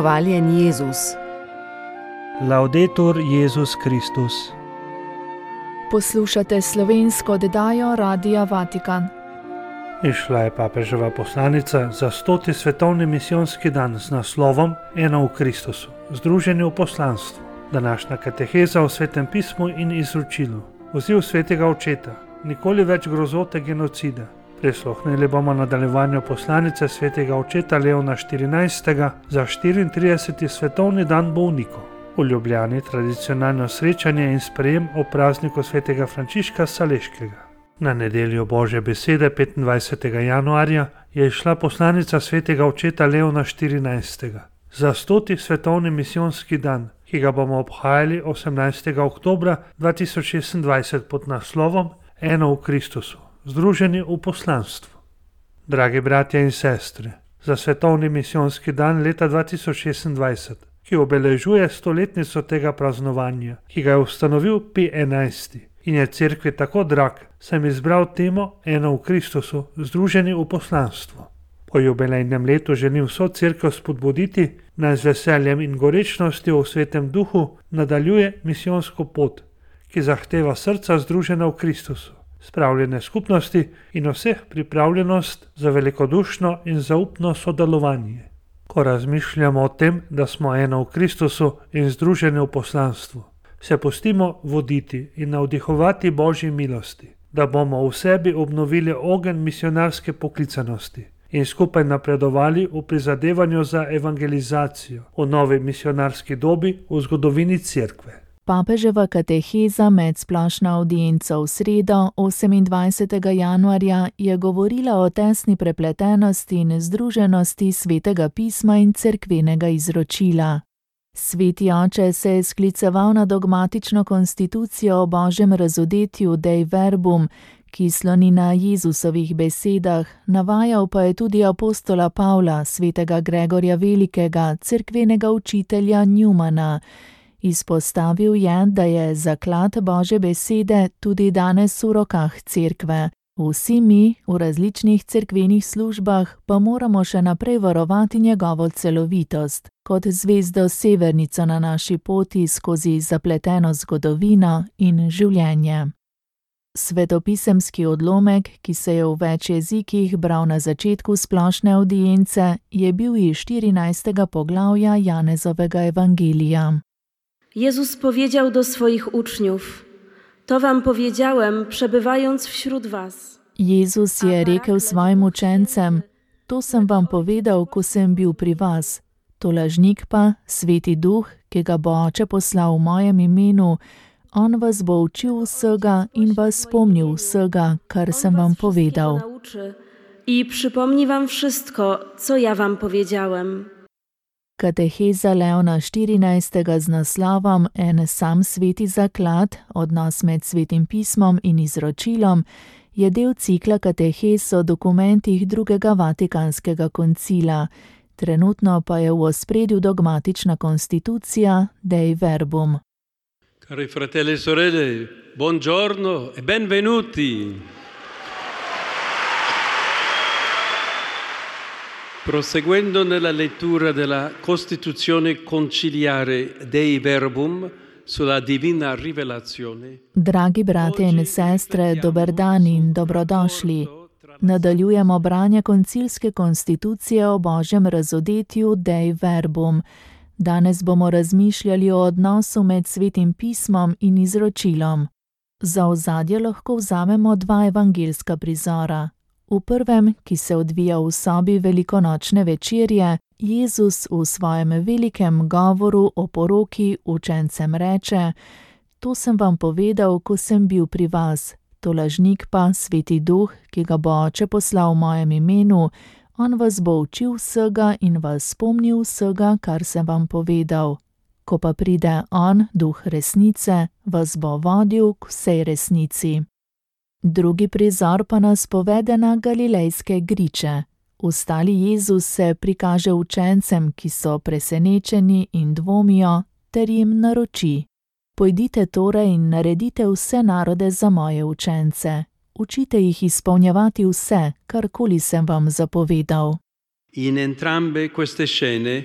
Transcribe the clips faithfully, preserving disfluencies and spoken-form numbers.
Hvaljen Jezus. Laudetur Jezus Kristus. Poslušate slovensko oddajo Radia Vatikan. Išla je papeževa poslanica za stoti svetovni misijonski dan z naslovom Eno v Kristusu, združeni v poslanstvu. Današnja kateheza o Svetem pismu in izročilu. Poziv svetega očeta, nikoli več grozote genocida. Prisluhnili bomo nadaljevanju poslanice svetega očeta Leona štirinajstega za štiriintrideseti svetovni dan bolnikov. V Ljubljani tradicionalno srečanje in sprejem ob prazniku svetega Frančiška Saleškega. Na nedeljo Božje besede petindvajsetega januarja je išla poslanica svetega očeta Leona štirinajstega za stoti svetovni misijonski dan, ki ga bomo obhajali osemnajstega oktobra dva tisoč šestindvajset pod naslovom Eno v Kristusu, združeni v poslanstvu. Dragi bratje in sestre, za svetovni misijonski dan leta dva tisoč šestindvajset, ki obeležuje stoletnico tega praznovanja, ki ga je ustanovil Pij enajsti in je cerkvi tako drag, sem izbral temo Eno v Kristusu, združeni v poslanstvu. Po jubilejnem letu želim vso cerkev spodbuditi, naj z veseljem in gorečnostjo v Svetem duhu nadaljuje misijonsko pot, ki zahteva srca združena v Kristusu, spravljene skupnosti in vseh pripravljenost za velikodušno in zaupno sodelovanje. Ko razmišljamo o tem, da smo eno v Kristusu in združeni v poslanstvu, se pustimo voditi in navdihovati Božji milosti, da bomo v sebi obnovili ogenj misionarske poklicanosti in skupaj napredovali v prizadevanju za evangelizacijo v novi misionarski dobi v zgodovini cerkve. Papeževa kateheza med splošno avdienco v sredo, osemindvajsetega januarja, je govorila o tesni prepletenosti in združenosti svetega pisma in cerkvenega izročila. Sveti oče se je skliceval na dogmatično konstitucijo o Božjem razodetju Dei Verbum, ki sloni na Jezusovih besedah, navajal pa je tudi apostola Pavla, svetega Gregorja Velikega, cerkvenega učitelja Newmana. Izpostavil je, da je zaklad Božje besede tudi danes v rokah cerkve. Vsi mi v različnih cerkvenih službah pa moramo še naprej varovati njegovo celovitost, kot zvezdo severnico na naši poti skozi zapleteno zgodovino in življenje. Svetopisemski odlomek, ki se je v več jezikih bral na začetku splošne avdience, je bil iz štirinajstega poglavja Janezovega ewangelija. Jezus powiedział do swoich uczniów: To wam powiedziałem, przebywając wśród was. Jezus je rekel svojim učencem: To sem vam povedal, ko sem bil pri vas. To lažnik pa, Sveti Duh, ki ga bo Oče poslal v mojem imenu, on vas bo učil vsega in vas spomnil vsega, kar sem vam povedal. I przypomni wam wszystko, co ja wam powiedziałem. Kateheza Leona štirinajstega z naslovom En sam sveti zaklad, odnos med svetim pismom in izročilom, je del cikla katehez o dokumentih drugega Vatikanskega koncila. Trenutno pa je v ospredju dogmatična konstitucija Dei Verbum. Cari fratelli e sorelle, buongiorno e benvenuti. Proseguendo nella lettura della Costituzione conciliare Dei Verbum sulla divina rivelazione. Dragi brate in sestre, dober dan in dobrodošli. Nadaljujemo branje koncilske konstitucije o Božjem razodetju Dei Verbum. Danes bomo razmišljali o odnosu med svetim pismom in izročilom. Za ozadje lahko vzamemo dva evangeljska prizora. V prvem, ki se odvija v sobi velikonočne večerje, Jezus v svojem velikem govoru o poroki učencem reče: To sem vam povedal, ko sem bil pri vas. To lažnik pa, Sveti Duh, ki ga bo Oče poslal v mojem imenu, on vas bo učil vsega in vas spomnil vsega, kar sem vam povedal. Ko pa pride on, Duh resnice, vas bo vodil k vsej resnici. Drugi prizor pa nas povede na galilejske griče. Ustali Jezus se prikaže učencem, ki so presenečeni in dvomijo, ter jim naroči: Pojdite torej in naredite vse narode za moje učence. Učite jih izpolnjevati vse, karkoli sem vam zapovedal. In entrambe queste scene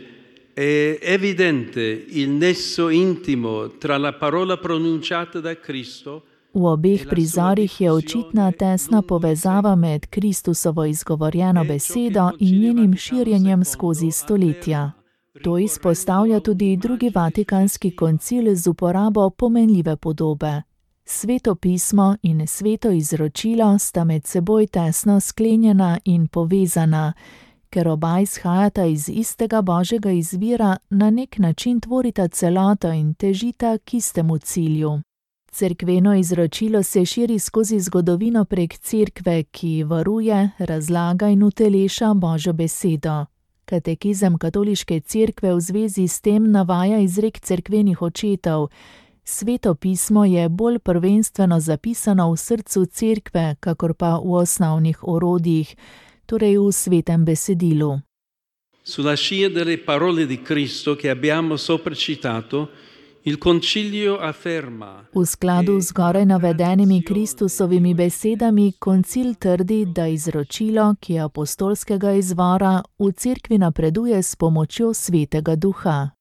è evidente il nesso intimo tra la parola pronunciata da Cristo. V obeh prizorih je očitna tesna povezava med Kristusovo izgovorjeno besedo in njenim širjenjem skozi stoletja. To izpostavlja tudi drugi vatikanski koncil z uporabo pomenljive podobe. Sveto pismo in sveto izročilo sta med seboj tesno sklenjena in povezana, ker oba izhajata iz istega božjega izvira, na nek način tvorita celoto in težita k istemu cilju. Cerkveno izročilo se širi skozi zgodovino prek cerkve, ki varuje, razlaga in uteleša Božjo besedo. Katekizem katoliške cerkve v zvezi s tem navaja izrek cerkvenih očetov: Sveto pismo je bolj prvenstveno zapisano v srcu cerkve, kakor pa v osnovnih orodjih, torej v svetem besedilu. Sulla scia delle parole di Cristo che abbiamo sopra citato, il concilio afferma. V skladu z zgoraj navedenimi Kristusovimi besedami koncil trdi, da izročilo, ki je apostolskega izvora, v cerkvi napreduje s pomočjo Svetega Duha.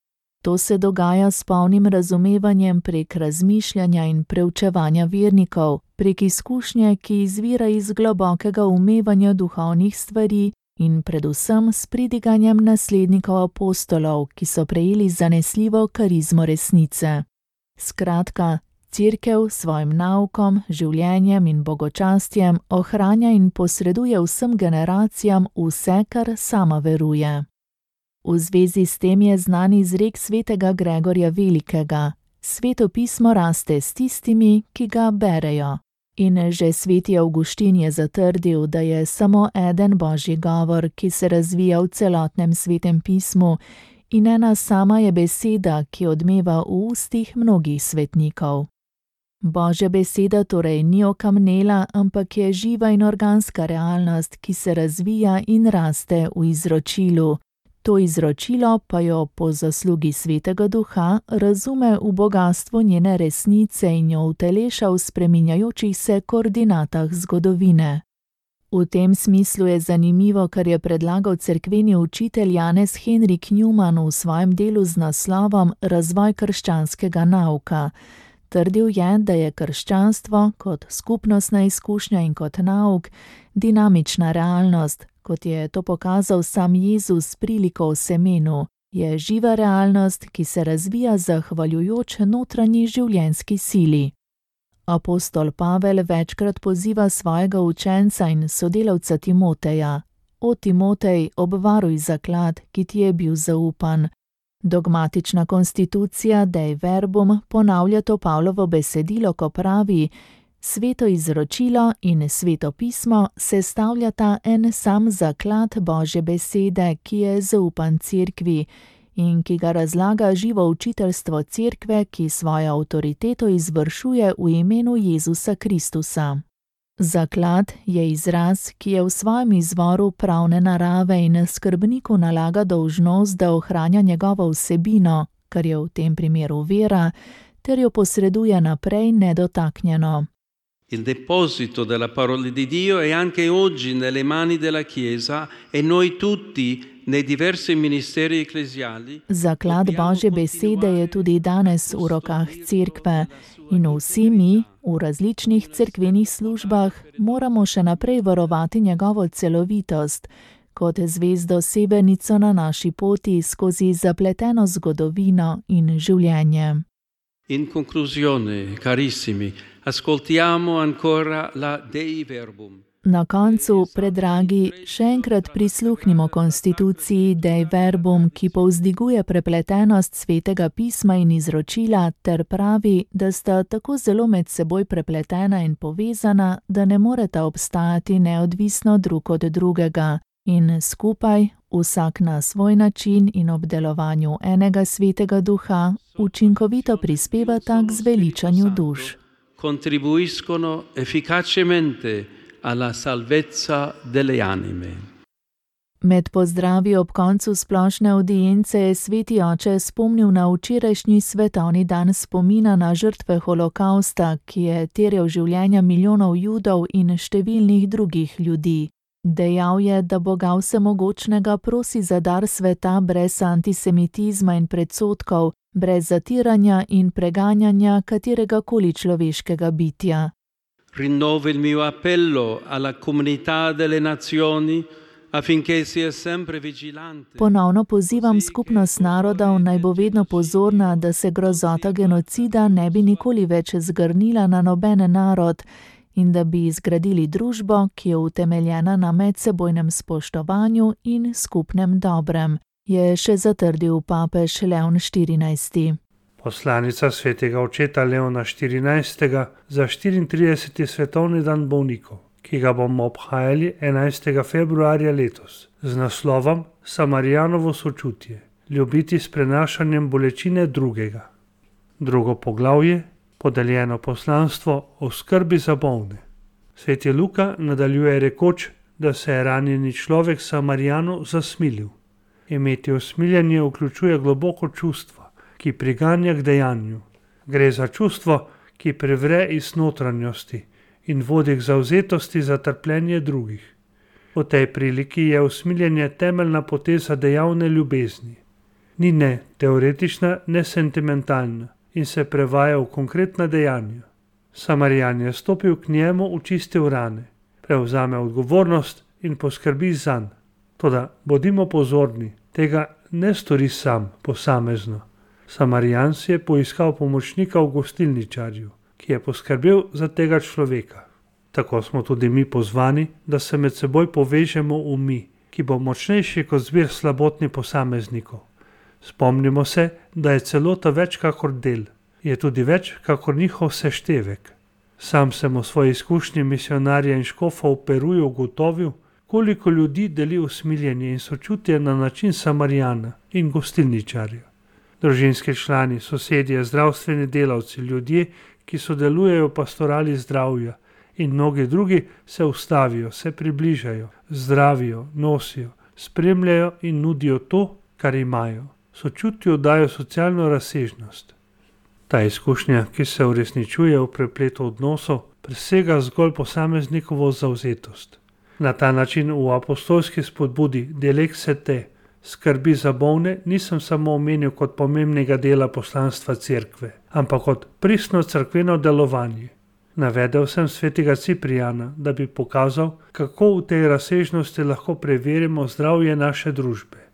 To se dogaja s polnim razumevanjem prek razmišljanja in preučevanja vernikov, prek izkušnje, ki izvira iz globokega umevanja duhovnih stvari in predvsem s pridiganjem naslednikov apostolov, ki so prejeli zanesljivo karizmo resnice. Skratka, cerkev s svojim naukom, življenjem in bogočastjem ohranja in posreduje vsem generacijam vse, kar sama veruje. V zvezi s tem je znan izrek svetega Gregorja Velikega: Sveto pismo raste s tistimi, ki ga berejo. In že sveti Avguštin je zatrdil, da je samo eden božji govor, ki se razvija v celotnem svetem pismu, in ena sama je beseda, ki odmeva v ustih mnogih svetnikov. Božja beseda torej ni okamnela, ampak je živa in organska realnost, ki se razvija in raste v izročilu. To izročilo pa jo po zaslugi Svetega Duha razume v bogastvu njene resnice in jo uteleša v spreminjajočih se koordinatah zgodovine. V tem smislu je zanimivo, kar je predlagal cerkveni učitelj Janez Henrik Newman v svojem delu z naslovom Razvoj krščanskega nauka. Trdil je, da je krščanstvo kot skupnostna izkušnja in kot nauk dinamična realnost, kot je to pokazal sam Jezus s priliko o semenu, je živa realnost, ki se razvija zahvaljujoč notranji življenjski sili. Apostol Pavel večkrat poziva svojega učenca in sodelavca Timoteja: O Timotej, obvaruj zaklad, ki ti je bil zaupan. Dogmatična konstitucija Dei Verbum ponavlja to Pavlovo besedilo, ko pravi: Sveto izročilo in sveto pismo sestavljata en sam zaklad Božje besede, ki je zaupan cerkvi in ki ga razlaga živo učiteljstvo cerkve, ki svojo avtoriteto izvršuje v imenu Jezusa Kristusa. Zaklad je izraz, ki je v svojem izvoru pravne narave in skrbniku nalaga dolžnost, da ohranja njegovo vsebino, kar je v tem primeru vera, ter jo posreduje naprej nedotaknjeno. Il deposito della parola di Dio è anche oggi nelle mani della Chiesa e noi tutti nei diversi ministeri ecclesiali. Zaklad Božje besede je tudi danes v rokah cerkve in vsi mi v različnih cerkvenih službah moramo še naprej varovati njegovo celovitost, kot zvezdo severnico na naši poti skozi zapleteno zgodovino in življenje. In conclusione, carissimi, ascoltiamo ancora la Dei Verbum. Na koncu, predragi, še enkrat prisluhnimo konstituciji Dei Verbum, ki povzdiguje prepletenost svetega pisma in izročila ter pravi, da sta tako zelo med seboj prepletena in povezana, da ne moreta obstajati neodvisno drug od drugega in skupaj, vsak na svoj način in ob delovanju enega svetega duha, učinkovito prispevata k zveličanju duš. Contribuiscono efficacemente alla salvezza delle anime. Med pozdravi ob koncu splošne audience je sveti oče spomnil na včerajšnji svetovni dan spomina na žrtve holokausta, ki je terjal življenja milijonov Judov in številnih drugih ljudi. Dejal je, da Boga vsemogočnega prosi za dar sveta brez antisemitizma in predsodkov, brez zatiranja in preganjanja kateregakoli človeškega bitja. Rinnovo il mio appello alla comunità delle nazioni affinché sia sempre vigilante. Ponovno pozivam skupnost narodov, naj bo vedno pozorna, da se grozota genocida ne bi nikoli več zgrnila na noben narod in da bi zgradili družbo, ki je utemeljena na medsebojnem spoštovanju in skupnem dobrem, je še zatrdil papež Leon štirinajsti. Poslanica svetega očeta Leona štirinajstega za štiriintrideseti svetovni dan bolnikov, ki ga bomo obhajali enajstega februarja letos, z naslovom Samarijanovo sočutje, ljubiti s prenašanjem bolečine drugega. Drugo poglavje, podeljeno poslanstvo o skrbi za bolne. Sveti Luka nadaljuje rekoč, da se je ranjeni človek Samarijanu zasmilil. Imeti usmiljenje vključuje globoko čustvo, ki priganja k dejanju. Gre za čustvo, ki prevre iz notranjosti in vodi k zavzetosti za trpljenje drugih. V tej priliki je usmiljenje temeljna poteza dejavne ljubezni. Ni ne teoretična, ne sentimentalna in se prevaja v konkretna dejanja. Samarijan je stopil k njemu, očistil rane, prevzame odgovornost in poskrbi zanj. Toda bodimo pozorni, tega ne stori sam, posamezno. Samarijan si je poiskal pomočnika v gostilničarju, ki je poskrbel za tega človeka. Tako smo tudi mi pozvani, da se med seboj povežemo v mi, ki bo močnejši kot zbir slabotni posameznikov. Spomnimo se, da je celota več kakor del, je tudi več kakor njihov seštevek. Sam sem v svoji izkušnji misionarja in škofa v Peruju ugotovil, koliko ljudi deli usmiljenje in sočutje na način Samarijana in gostilničarja. Družinski člani, sosedje, zdravstveni delavci, ljudje, ki sodelujejo v pastorali zdravja in mnogi drugi se ustavijo, se približajo, zdravijo, nosijo, spremljajo in nudijo to, kar imajo. Sočutju dajo socialno razsežnost. Ta izkušnja, ki se uresničuje v prepletu odnosov, presega zgolj posameznikovo zavzetost. Na ta način v apostolski spodbudi Delexite te, skrbi za bolne, nisem samo omenil kot pomembnega dela poslanstva cerkve, ampak kot pristno cerkveno delovanje. Navedel sem svetega Ciprijana, da bi pokazal, kako v tej razsežnosti lahko preverimo zdravje naše družbe.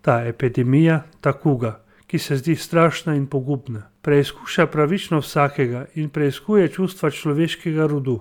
Ta epidemija, ta kuga, ki se zdi strašna in pogubna, preizkuša pravično vsakega in preiskuje čustva človeškega rodu.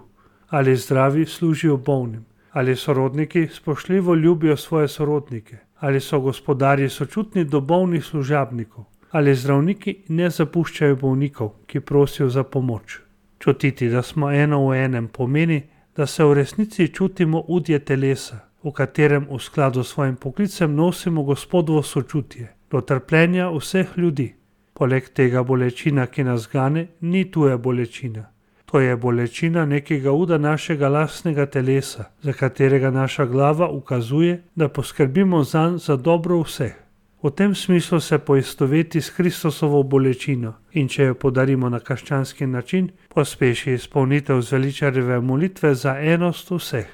Ali zdravi služijo bolnim, ali sorodniki spoštljivo ljubijo svoje sorodnike, ali so gospodarji sočutni do bolnih služabnikov, ali zdravniki ne zapuščajo bolnikov, ki prosijo za pomoč. Čutiti, da smo eno v enem, pomeni, da se v resnici čutimo udje telesa, v katerem v skladu s svojim poklicem nosimo Gospodovo sočutje do trpljenja vseh ljudi. Poleg tega bolečina, ki nas gane, ni tuja bolečina. To je bolečina nekega uda našega lastnega telesa, za katerega naša glava ukazuje, da poskrbimo zanj za dobro vseh. V tem smislu se poistoveti s Kristusovo bolečino in če jo podarimo na krščanski način, pospeši izpolnitev zveličarjeve molitve za enost vseh.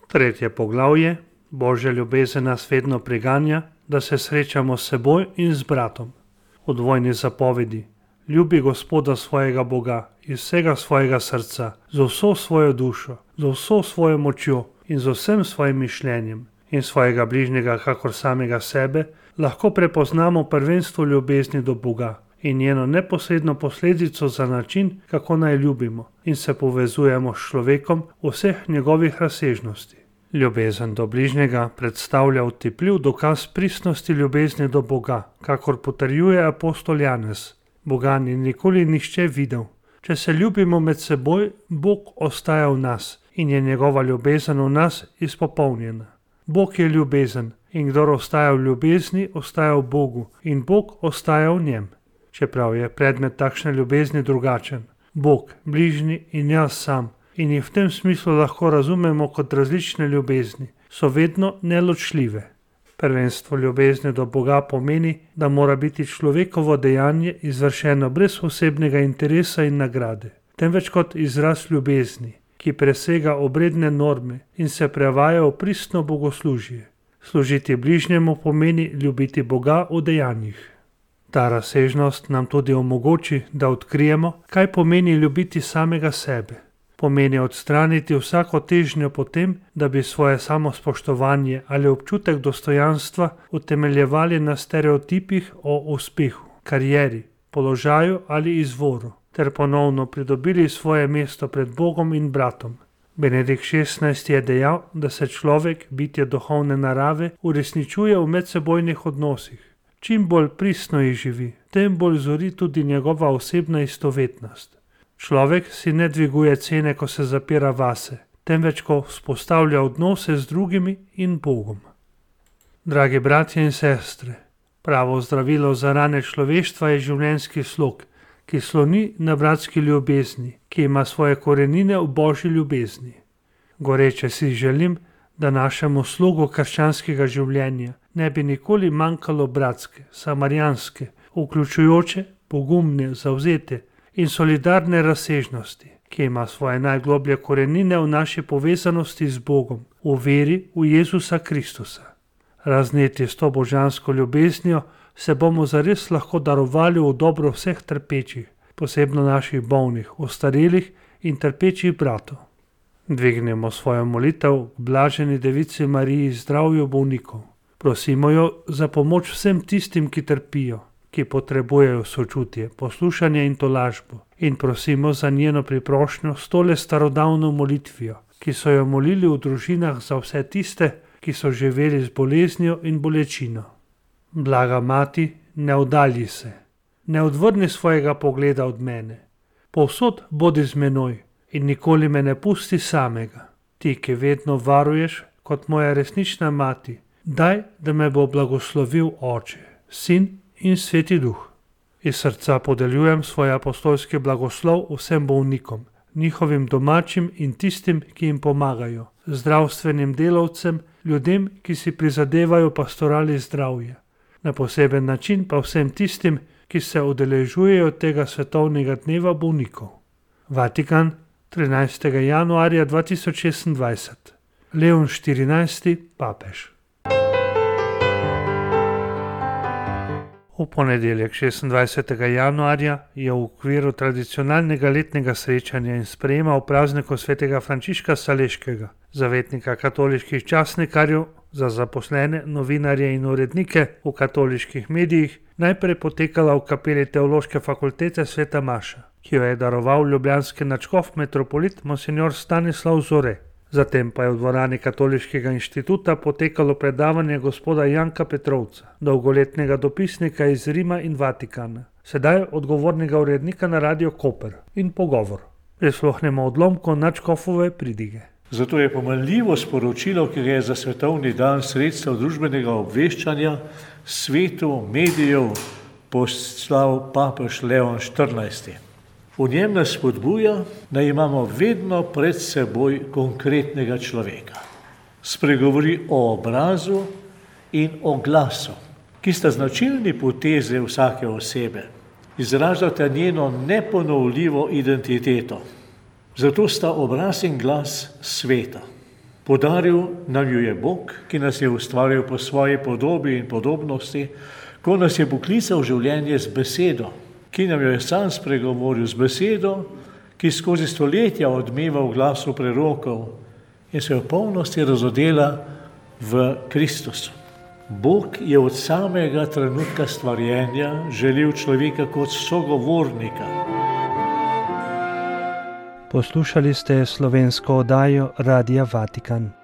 Tretje poglavje. Božja ljubezen nas vedno priganja, da se srečamo s seboj in z bratom. V dvojni zapovedi. Ljubi Gospoda svojega Boga iz vsega svojega srca, z vso svojo dušo, z vso svojo močjo in z vsem svojim mišljenjem in svojega bližnjega kakor samega sebe, lahko prepoznamo prvenstvo ljubezni do Boga in njeno neposredno posledico za način, kako naj ljubimo in se povezujemo s človekom v vseh njegovih razsežnosti. Ljubezen do bližnjega predstavlja otipljiv dokaz pristnosti ljubezni do Boga, kakor potrjuje apostol Janez. Boga ni nikoli nihče videl. Če se ljubimo med seboj, Bog ostaja v nas in je njegova ljubezen v nas izpopolnjena. Bog je ljubezen in kdor ostaja v ljubezni, ostaja v Bogu in Bog ostaja v njem. Čeprav je predmet takšne ljubezni drugačen, Bog, bližnji in jaz sam, in jih v tem smislu lahko razumemo kot različne ljubezni, so vedno neločljive. Prvenstvo ljubezni do Boga pomeni, da mora biti človekovo dejanje izvršeno brez osebnega interesa in nagrade, temveč kot izraz ljubezni ki presega obredne norme in se prevaja v pristno bogoslužje. Služiti bližnjemu pomeni ljubiti Boga v dejanjih. Ta razsežnost nam tudi omogoči, da odkrijemo, kaj pomeni ljubiti samega sebe. Pomeni odstraniti vsako težnjo po tem, da bi svoje samospoštovanje ali občutek dostojanstva utemeljevali na stereotipih o uspehu, karieri, položaju ali izvoru, ter ponovno pridobili svoje mesto pred Bogom in bratom. Benedikt šestnajsti je dejal, da se človek, bitje duhovne narave, uresničuje v medsebojnih odnosih. Čim bolj pristno jih živi, tem bolj zori tudi njegova osebna istovetnost. Človek si ne dviguje cene, ko se zapira vase, temveč ko vzpostavlja odnose z drugimi in Bogom. Dragi bratje in sestre, pravo zdravilo za rane človeštva je življenjski slog, ki sloni na bratski ljubezni, ki ima svoje korenine v Božji ljubezni. Goreče si želim, da našemu slogu krščanskega življenja ne bi nikoli manjkalo bratske, samarijanske, vključujoče, pogumne, zavzete in solidarne razsežnosti, ki ima svoje najgloblje korenine v naši povezanosti z Bogom, v veri v Jezusa Kristusa. Razneti s to božansko ljubeznijo se bomo zares lahko darovali v dobro vseh trpečih, posebno naših bolnih, ostarelih in trpečih bratov. Dvignemo svojo molitev k blaženi devici Mariji zdravju bolnikov. Prosimo jo za pomoč vsem tistim, ki trpijo, ki potrebujejo sočutje, poslušanje in tolažbo, in prosimo za njeno priprošnjo s tole starodavno molitvijo, ki so jo molili v družinah za vse tiste, ki so živeli z boleznijo in bolečino. Blaga mati, ne oddalji se, ne odvrni svojega pogleda od mene. Povsod bodi z menoj in nikoli me ne pusti samega. Ti, ki vedno varuješ kot moja resnična mati, daj, da me bo blagoslovil Oče, Sin in Sveti Duh. Iz srca podeljujem svoj apostolski blagoslov vsem bolnikom, njihovim domačim in tistim, ki jim pomagajo, zdravstvenim delavcem, ljudem, ki si prizadevajo pastorali zdravja. Na poseben način pa vsem tistim, ki se udeležujejo tega svetovnega dneva bolnikov. Vatikan, trinajstega januarja dva tisoč šestindvajset. Leon štirinajsti, papež. V ponedeljek šestindvajsetega januarja je v okviru tradicionalnega letnega srečanja in sprejema v prazniku svetega Frančiška Saleškega, zavetnika katoliških časnikarjev, za zaposlene, novinarje in urednike v katoliških medijih, najprej potekala v kapeli Teološke fakultete Sveta Maša, ki jo je daroval ljubljanski nadškof metropolit monsignor Stanislav Zore. Zatem pa je v dvorani Katoliškega inštituta potekalo predavanje gospoda Janka Petrovca, dolgoletnega dopisnika iz Rima in Vatikana, sedaj odgovornega urednika na Radio Koper, in pogovor. Prisluhnemo odlomku nadškofove pridige. Zato je pomenljivo sporočilo, ki je za svetovni dan sredstev družbenega obveščanja svetu medijev poslal papež Leon štirinajsti. V njem nas spodbuja, da imamo vedno pred seboj konkretnega človeka. Spregovori o obrazu in o glasu, ki sta značilni poteze vsake osebe. Izražata njeno neponovljivo identiteto. Zato sta obraz in glas sveta. Podaril nam jo je Bog, ki nas je ustvaril po svoji podobi in podobnosti, ko nas je poklical v življenje z besedo, ki nam jo je sam spregovoril z besedo, ki skozi stoletja odmeva v glasu prerokov in se v polnosti razodela v Kristusu. Bog je od samega trenutka stvarjenja želel človeka kot sogovornika. Poslušali ste slovensko oddajo Radia Vatikan.